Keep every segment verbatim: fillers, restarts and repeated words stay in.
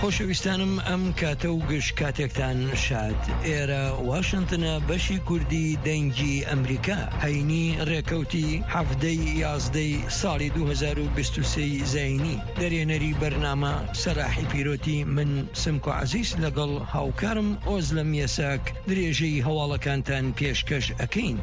خۆشەویستانم، ئەم کاتە و گشت کاتێکتان شاد. ئێرە واشنتنە، بەشی کوردی دەنگی ئەمریکا. هەینی ڕێکەوتی حەڤدەی یازدەی ساڵی دوو هەزار و بیست و سێ زاینی. دەرێنەری بەرنامە سەلاحی پیرۆتی، من سمکۆ عەزیز لەگەڵ هاوکارم ئۆزلەم یەساک درێژەی هەواڵەکانتان پێشکەش ئەکەین.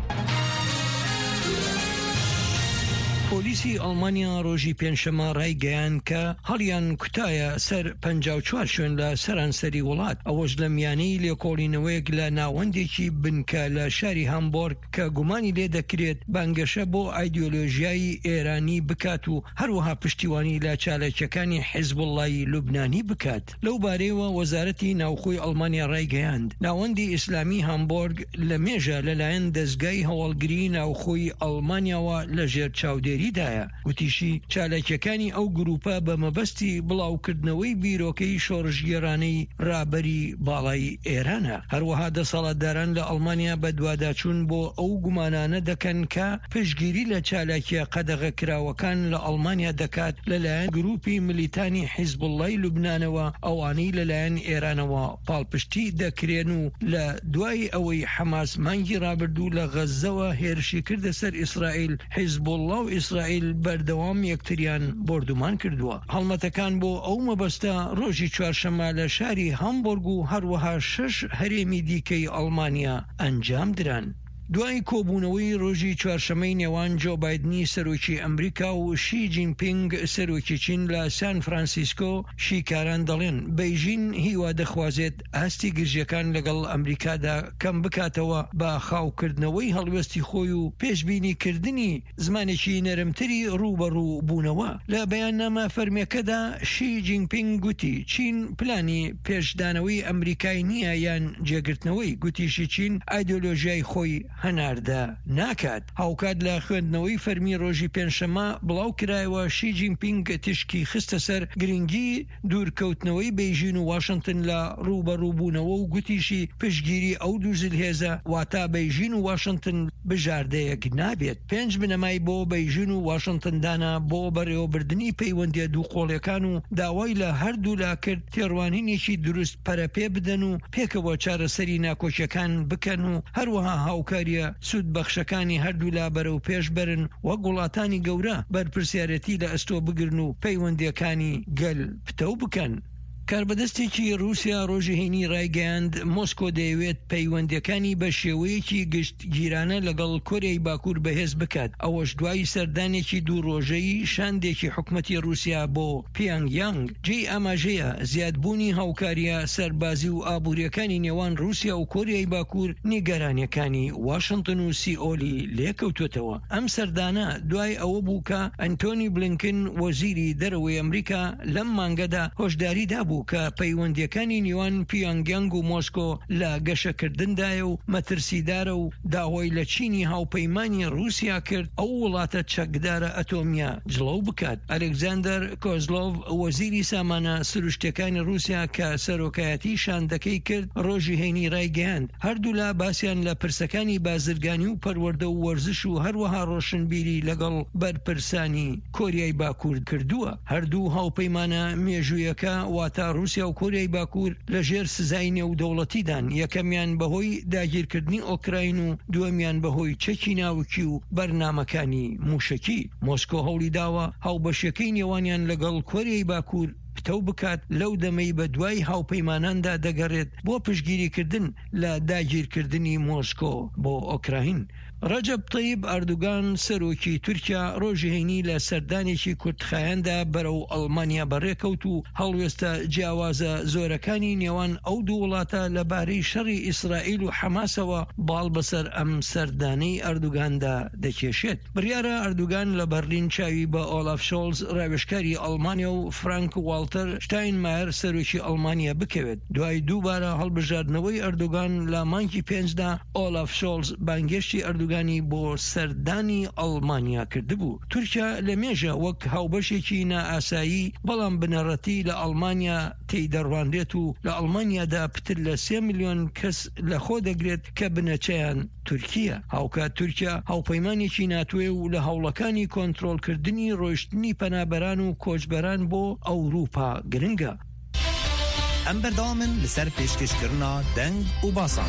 پۆلیسی ئەڵمانیا ڕۆژی پێنجشەممە ڕایگەیاند کە هەڵیان کوتایە سەر پەنجا و چوار شوێن لە سەرانسەری وڵات. ئەوەش لە میانەی لێکۆڵینەوەیەک لە ناوەندێکی بنکە لە شاری هامبۆرگ کە گومانی لێ دەکرێت بانگەشە بۆ ئایدیۆلۆژیایی ئێرانی بکات و هەروەها پشتیوانی لە چالاکیەکانی حیزبوڵڵای لوبنانی بکات. لەو بارەیەوە وەزارەتی ناوخۆی ئەڵمانیا ڕایگەیاند، ناوەندی ئیسلامی هامبۆرگ لە مێژە لەلایەن دەستگای هەواڵگری ناوخۆی ئەڵمانیاوە لە ژێر چاودێریدایە. گوتیشی، چالاکیەکانی ئەو گروپە بە مەبەستی بڵاوکردنەوەی بیرۆکەی شۆڕشگێرانەی ڕابەری باڵای ئێرانە. هەروەها دەسەڵاتداران لە ئەڵمانیا بە دواداچوون بۆ ئەو گومانانە دەکەن کە پشتگیری لە چالاکیە قەدەغەکراوەکان لە ئەڵمانیا دەکات لەلایەن گروپی ملیتانی حیزبوڵڵای لوبنانەوە، ئەوانەی لەلایەن ئێرانەوە پاڵپشتی دەکرێن و لە دوای ئەوەی حەماس مانگی ڕابردوو لە غەززەوە هێرشی کردە سەر ئیسرائیل، حیزبوڵڵا و ئیسرائیل بەردەوام یەکتریان بۆردومان کردووە. هەڵمەتەکان بۆ ئەو مەبەستە ڕۆژی چوارشەممە لە شاری هامبۆرگ و هەروەها شەش هەرێمی دیکەی ئەڵمانیا ئەنجام دران. دوای کۆبوونەوەی ڕۆژی چوارشەممەی نێوان جۆ بایدنی سەرۆکی ئەمریکا و شی جینپینگ سەرۆکی چین لە سان فرانسیسکۆ، شیکاران دەڵێن بەیژین هیوا دەخوازێت ئاستی گرژیەکان لەگەڵ ئەمریکادا کەم بکاتەوە بە خاوکردنەوەی هەڵوێستی خۆی و پێشبینیکردنی زمانێکی نەرمتری ڕوبەڕوو بوونەوە. لە بەیاننامە فەرمیەکەدا شی جینپینگ گوتی چین پلانی پێشدانەوەی ئەمریکای نییە یان جێگرتنەوەی. گوتیشی چین ئایدۆلۆژیای خۆی هەناردە ناکات. هاوکات لە خوێندنەوەی فەرمی ڕۆژی پێنجشەممە بڵاو کرایەوە، شی جینپینگ تیشکی خستە سەر گرنگی دوورکەوتنەوەی بەیژین و واشنتن لە ڕوبەڕووبوونەوە و گوتیشی پشتگیری ئەو دوو زلهێزە، واتە بەیژین و واشنتن، بژاردەیەک نابێت. پێنج بنەمای بۆ بەیژین و واشنتن دانا بۆ بەڕێوەبردنی پەیوەندیە دووقۆڵیەکان و داوای لە هەردوولا کرد تێڕوانینێکی دروست پەرەپێ بدەن و پێکەوە چارەسەری ناکۆکیەکان بکەن و هەروەها هاوکاریە سوودبەخشەکانی هەردوولا بەرەو پێش بەرن، وەک وڵاتانی گەورە بەرپرسیارەتی لە ئەستۆ بگرن و پەیوەندیەکانی گەل پتەو بکەن. کاربەدەستێکی رووسیا ڕۆژی هەینی ڕایگەیاند، مۆسکۆ دەیەوێت پەیوەندیەکانی بە شێوەیەکی گشتگیرانە لەگەڵ کۆریای باکوور بەهێز بکات. ئەوەش دوای سەردانێکی دوو ڕۆژەی شاندێکی حکومەتی رووسیا بۆ پیانگ یانگ. جێی ئاماژەیە، زیادبوونی هاوکاریە سەربازی و ئابووریەکانی نێوان رووسیا و کۆریای باکوور نیگەرانیەکانی واشنتن و سیئۆلی لێکەوتوتەوە. ئەم سەردانە دوای ئەوە بوو کە ئەنتۆنی بلینکن، وەزیری دەرەوەی ئەمریکا، لەم مانگەدا هۆشداری دابوو کە پەیوەندیەکانی نێوان پیانگ یانگ و مۆسکۆ لە گەشەکردندایە و مەترسیدارە و داوای لە چینی هاوپەیمانی رووسیا کرد ئەو وڵاتە چەکدارە ئەتۆمیە جڵەو بکات. ئەلکساندەر کۆزلۆڤ، وەزیری سامانە سروشتەکانی رووسیا کە سەرۆکایەتی شاندەکەی کرد، ڕۆژی هەینی ڕایگەیاند، هەردوولا باسیان لە پرسەکانی بازرگانی و پەروەردە و وەرزش و هەروەها ڕۆشنبیری لەگەڵ بەرپرسانی کۆریای باکوور کردووە. هەردوو هاوپەیمانە مێژوویەکە، واتە رووسیا و کۆریای باکوور، لە ژێر سزای نێودەوڵەتیدان، یەکەمیان بەهۆی داگیرکردنی ئۆکراین و دووەمیان بەهۆی چەکی ناوکی و بەرنامەکانی موشەکی. مۆسکۆ هەوڵی داوە هاوبەشیەکەی نێوانیان لەگەڵ کۆریای باکوور پتەو بکات، لەو دەمەی بە دوای هاوپەیماناندا دەگەڕێت بۆ پشتگیریکردن لە داگیرکردنی مۆسکۆ بۆ ئۆکراین. ڕەجەب تەیب ئەردوگان، سەرۆکی تورکیا، ڕۆژی هەینی لە سەردانێکی کورتخایەندا بەرەو ئەڵمانیا بەڕێکەوت و هەڵوێستە جیاوازە زۆرەکانی نێوان ئەو دوو وڵاتە لەبارەی شەڕی ئیسرائیل و حەماسەوە باڵ بەسەر ئەم سەردانەی ئەردوگاندا دەکێشێت. بڕیارە ئەردوگان لە بەرلین چاوی بە ئۆلاف شۆلز، ڕاوێژکاری ئەڵمانیا، و فرانک واڵتەر شتاینمایەر، سەرۆکی ئەڵمانیا، بکەوێت. دوای دووبارە هەڵبژاردنەوەی ئەردوگان لە مانگی پێنجدا، ئۆلاف شۆلز بانگێشتی ئەردوگانی بۆ سەردانی ئەڵمانیا کردبوو. تورکیا لە مێژە وەک هاوبەشێکی نائاسایی، بەڵام بنەڕەتی لە ئەڵمانیا تێی دەڕوانرێت و لە ئەڵمانیادا پتر لە سێ ملیۆن کەس لە خۆ دەگرێت کە بنەچەیان تورکیە. هاوکات تورکیا هاوپەیمانێکی ناتۆیە و لە هەوڵەکانی کۆنترۆلکردنی ڕۆیشتنی پەنابەران و کۆچبەران بۆ ئەوروپا گرنگە. Em berdewam in li ser pêşkêşkirina deng û basan.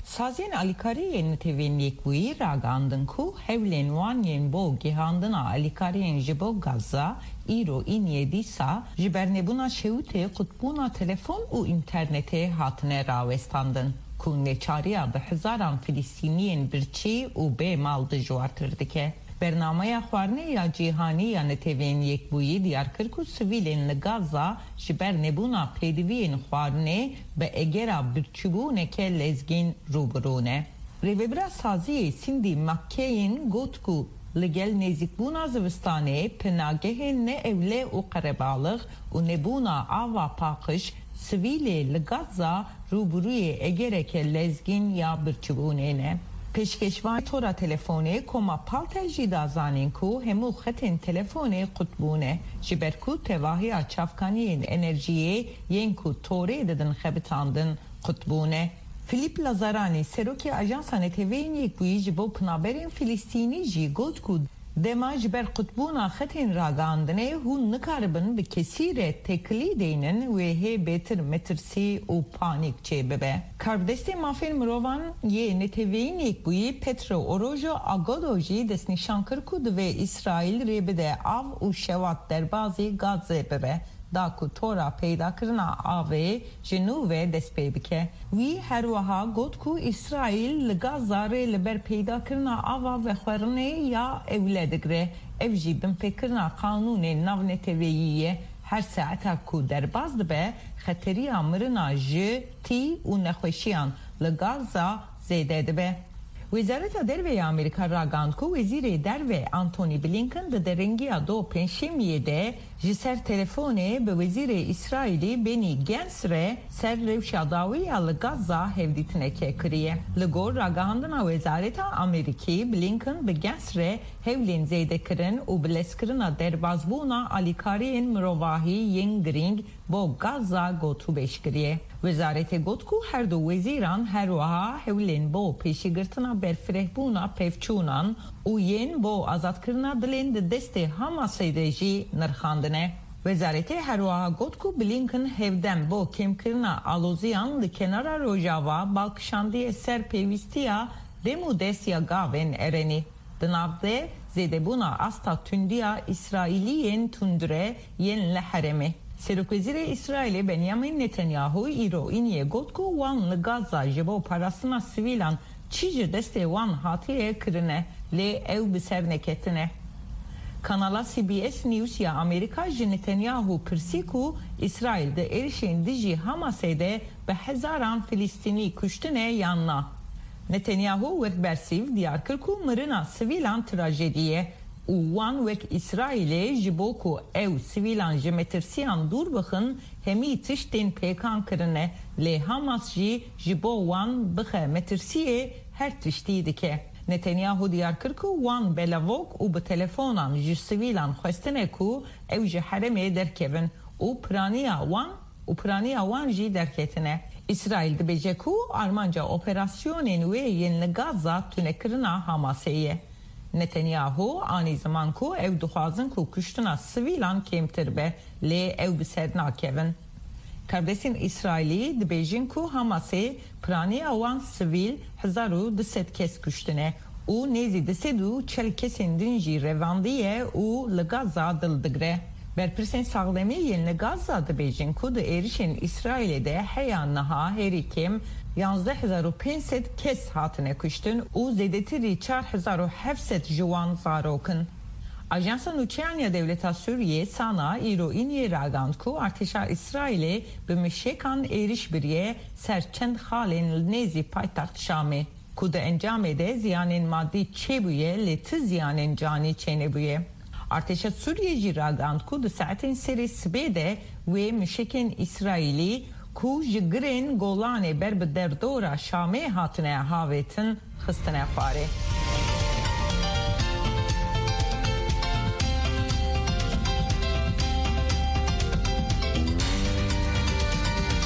Saziyên alîkarî yên Netewên Yekbûyî ragandin ku hewlên wan yên bo gihandina alîkariyên ji bo Gaza îro îniyê dîsa ji ber nebûna şewitê qutbûna telefon û înternetê hatine rawestandin, ku neçariya bi hezaran Filistîniyên birçî û bê mal dijwartir dike. Bernameya Xwarinê ya Cîhanî ya Netewên Yekbûyî diyar kir ku sivîlên li Gaza ji ber nebûna pêdiviyên xwarinê bi egera birçîbûneke lezgîn rû bi rû ne. Rêvebira saziyê Cindy McCain got ku li gel nêzîkbûna zivistanê, penagehên ne ewle û qerebalix û nebûna ava paqij, sivîlê li Gaza rûbirûyê egereke lezgîn ya birçîbûnê ne. Pêşkêşvanê tora telefonê Koma Paltel jî da zanîn ku hemû xetên telefonê qut bûne, ji ber ku tevahiya çavkaniyên enerjiyê yên ku torê didin xebitandin qut bûne. Filîp Lazarani, serokê Ajansa Neteweyên Yekbûyî ji bo penaberên Filistînî jî got ku dema ji ber qutbûna xetên ragihandinê hûn nikaribin bi kesî re têkilî deynin, wê hê bêtir metirsî û panîk çêbibe. Karbidestê mafên mirovan yê Neteweyên Yekbûyî Petro Orojo Agodo jî destnîşan kir ku divê Îsraîl rê bide av û şewat derbazî Gazze bibe, da ku tora peydakirina avê ji nû ve dest pê bike. Wî her wiha got ku Îsraîl li Gaza rê li ber peydakirina ava vexwerinê ya ewle digre. Ev jî binpêkirina qanûnên navneteweyî ye. Her saeta ku derbas dibe, xeteriya mirina ji tî û nexweşiyan li Gaza zêde dibe. Wezareta Derve ya Amerîka ragihand ku Wezîrê Derve Antony Blinken di derengiya do Pêncşemiyê de ji ser telefonê bi Wezîrê Îsraîlî Benny Gantz re ser rewşa dawî ya li Gaza hevdîtineke kiriye. Li gor ragihandina Wezareta Amerîkî, Blinken bi Gantz re hewlên zêdekirin û bilezkirina derbazbûna alîkariyên mirovahî yên girîng bo Gaza gotûbêj kiriye. Wezaretê got ku her du wezîran her wiha hewlên bo pêşîgirtina berfirehbûna pevçûnan û yên bo azadkirina dilên di destê Hamasê de jî nirxandine. Wezaretê her wiha got ku Blinken hevdem bo kêmkirina aloziyan li Kenara Rojava bal kişandiye ser pêwîstiya dem û dest ya gavên erenî. Di nav de zêdebûna asta tundiya Îsraîliyên tundre yên li herêmê. Serokwezîrê Îsraîlê Benyamin Netanyahu îro îniyê got ku wan li Gaza ji bo parastina sivîlan çi ji destê wan hatiye kirine, lê ew bi ser neketine. Kanala C B S News ya Amerîka ji Netanyahu pirsî ku Îsraîl di êrişên dijî Hamasê de bi hezaran Filistînî kuştine yan na. Netanyahu wek bersîv diyar kir ku mirina sivîlan trajedî ye û wan wek Îsraîlê ji bo ku ew sivîlan ji metirsiyan dûr bixin, hemî tişt tên pêkan kirine, lê Hamas jî ji bo wan bixe metirsiyê her tiştî dike. Netanyahu diyar kir ku wan belavok û bi telefonan ji sivîlan xwestine ku ew ji herêmê derkevin û piraniya wan û piraniya wan jî derketine. Îsraîl dibêje ku armanca operasyonên wê yên li Gaza tunekirina Hamasê ye. Netanyahu anî ziman ku ew dixwazin ku kuştina sivîlan kêmtir be, lê ew bi ser nakevin. Karbidestên Îsraîlî dibêjin ku Hamasê piraniya wan sivîl hezar û du sed kes kuştine û nêzî du sed û çel kesên din jî revandiye û li Gaza dil digre. Berpirsên saxlemî yên li Gaza dibêjin ku di êrişên Îsraîlê de heya niha herî kêm yanzdeh hezar û pênc sed kes hatine kuştin û zêdetirî çar hezar û heft sed ji wan zarok in. Ajansa Nûçeyan ya Dewleta Sûriyê, SANA, îro îniyê ragihand ku artêşa Îsraîlê bi mişekan êriş biriye ser çend xalên li nêzî paytext Şamê, ku di encamê de ziyanên madî çêbûye, lê ti ziyanên canî çênebûye. Artêşa Sûriyê jî ragihand ku di saetên serê sibê de wê mişekên Îsraîlî ku ji girên Golanê ber bi derdora Şamê hatine havêtin, xistine xwarê.